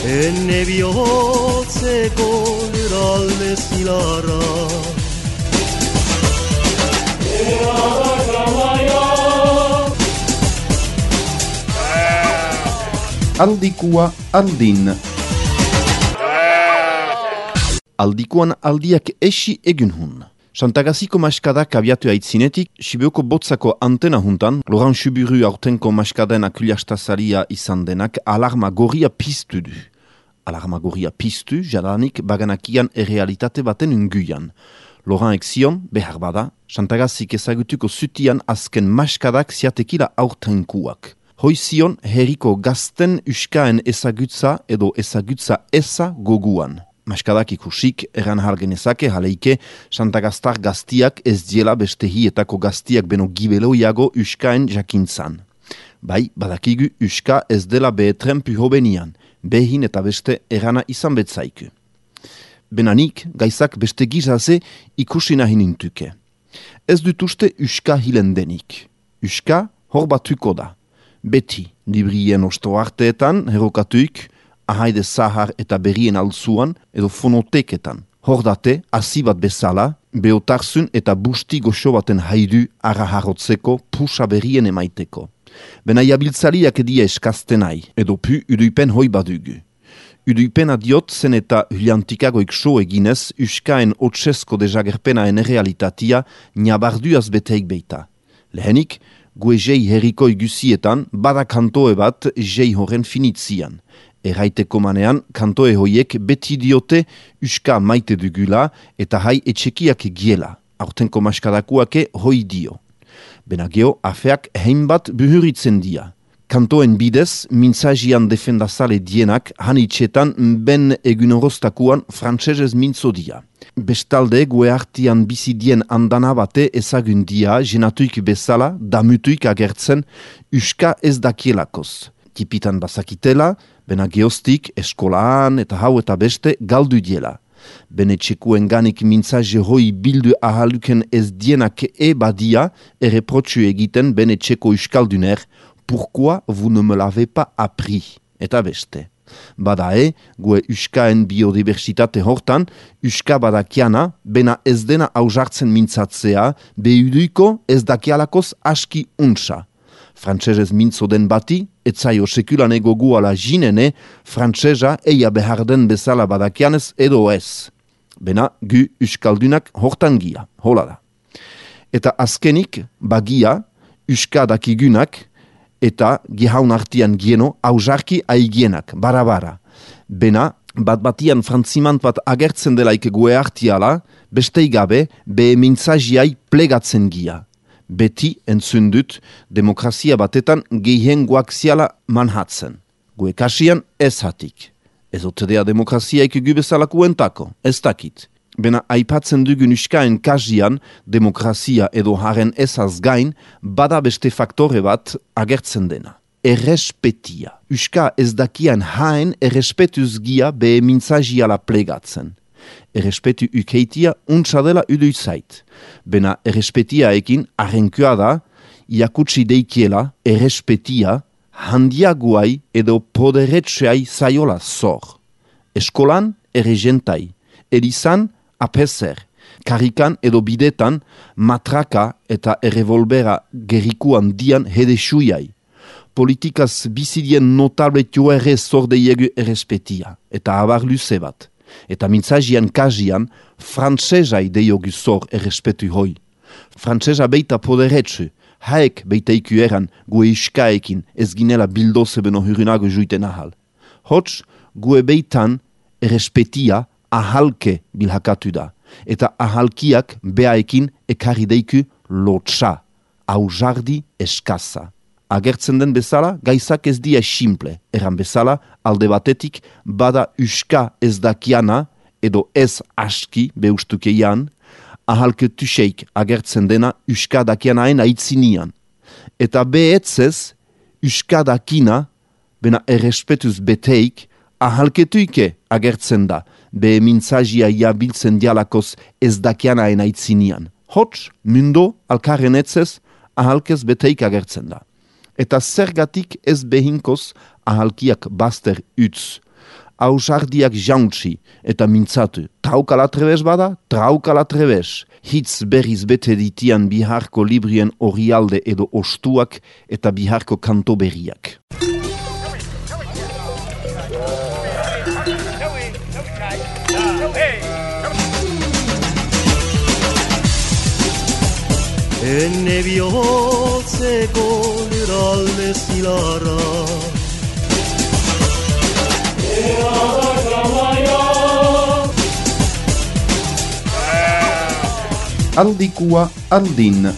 Enne bihotzeko eralde zilarra Aldikua aldin. Aldikuan aldiak esi egun hun. Santagaziko maskadak abiatu aitzinetik, Sibioko botzako antena juntan, Laurent Suburu aurtenko maskaden akuliastazaria izan denak alarma gorria piztu du. Alarma gorria piztu, jadanik baganakian errealitate baten unguian. Laurent ekzion, behar bada, Santagazik ezagutuko zutian azken maskadak ziatekila aurtenkuak. Hoizion herriko gazten uskaen ezagutza edo ezagutza eza goguan. Maskadak ikusik eran hargenezake jaleike Santagaztar gaztiak ez diela beste hietako gaztiak beno gibeloiago uskaen jakintzan. Bai, badakigu uska ez dela behetren puhobenian, behin eta beste erana izan betzaiku. Benanik, gaizak beste gizaze ikusi nahi nintuke. Ez dutuste uska hilendenik. Uska hor batuko da. Beti, librien osto arteetan, herokatuik, ahaide zahar eta berrien alzuan, edo fonoteketan. Hordate, hasi bat bezala, beotarzun eta busti goxo baten haidu araharotzeko pusa berrien emaiteko. Bena jabiltzaliak edia eskaztenai, edo pu uduipen hoi badugu. Uduipena diot zen eta huliantikagoik so eginez, uskaen otsesko dejagerpenaen realitatia nabarduaz beteik beita. Lehenik, gue jei herriko igusietan, bada kantoe bat jei horren finitzian. Erraiteko manean, kantoe hoiek beti diote uska maite dugula eta hai etxekiak giela. Aurtenko maskadakuake hoi dio. Benageo, afeak hainbat buhuritzen dia. Kantoen bidez, mintzajian defendazale dienak hanitxetan ben egunoroztakuan frantsesez mintzo dia. Bestalde, gue hartian bizidien andana bate ezagundia jenatuik bezala, damutuik agertzen, uska ez dakielakoz. Tipitan bazakitela, bena geostik, eskolaan eta hau eta beste galdu diela. Bene txekuen ganik mintzaje hoi bildu ahaluken ez dienak badia erreprotxu egiten bene txeko uskalduner, pourquoi vous ne me l'avez pas appris? Eta beste. Badae, gue uskaen biodiversitate hortan, uska badakiana, bena ez dena hausartzen mintzatzea, behuduiko ez dakialakoz aski untsa. Frantsesez mintzo den bati, etzaio sekulan ego guala jinene, frantsesa eia behar den bezala badakianez edo ez. Bena, gu uskaldunak hortan gia, hola da. Eta azkenik, bagia, uska dakigunak, eta gihaun artian gieno hausarki aigienak, bara. Bena, bat-batian frantzimant bat agertzen delaik gue artiala, bestei gabe, be mintzajiai plegatzen gia. Beti entzun dut demokrazia batetan gehien guaksiala manhatzen. Gue kasian ez hatik. Ez otedea demokraziaik gubezalako entako, ez dakit. Bena aipatzen dugun uskaen kasian, demokrazia edo haren ezaz gain, bada beste faktore bat agertzen dena. Errespetia. Uska ez dakian haen errespetuz gia be mintzajiala plegatzen. Errespetu ukeitia untsa dela uduizait. Bena errespetiaekin arrenkua da, iakutsi deikiela errespetia handiaguai edo poderetxeai zaiola zor. Eskolan erregentai, erizan apezer, karikan edo bidetan matraka eta errevolbera gerikuan dian hedesuiai. Politikaz bizidien notable joere zordeiegu errespetia, eta abar luze bat. Eta mintzajian kajian, frantsesai deiogu zor errespetu hoi. Frantsesa beita poderetsu, haek beiteiku eran gue iskaekin ez ginela bildoze beno hurunago juiten ahal. Hots, gue beitan errespetia ahalke bilhakatu da, eta ahalkiak beaekin ekarri deiku lotsa, aujardi eskaza. Agertzen den bezala, gaizak ez dia simple, eran bezala, alde batetik, bada uska ez dakiana, edo ez aski beustukeian, ahalketuseik agertzen dena uska dakianaen aitzinian. Eta behetzez, uska dakina, bena errespetuz beteik, ahalketuike agertzen da, be mintzajia jabiltzen dialakoz ez dakianaen aitzinian. Hots, mundo, alkarren etzez, ahalkez beteik agertzen da. Eta zergatik ez behinkoz ahalkiak bazter utz. Ausardiak jauntzi eta mintzatu. Traukala trebez bada, traukala trebez. Hitz berriz bete ditian biharko librien orialde edo ostuak eta biharko kanto berriak. Enne bihotzeko lurralde zilarra Aldikua aldin.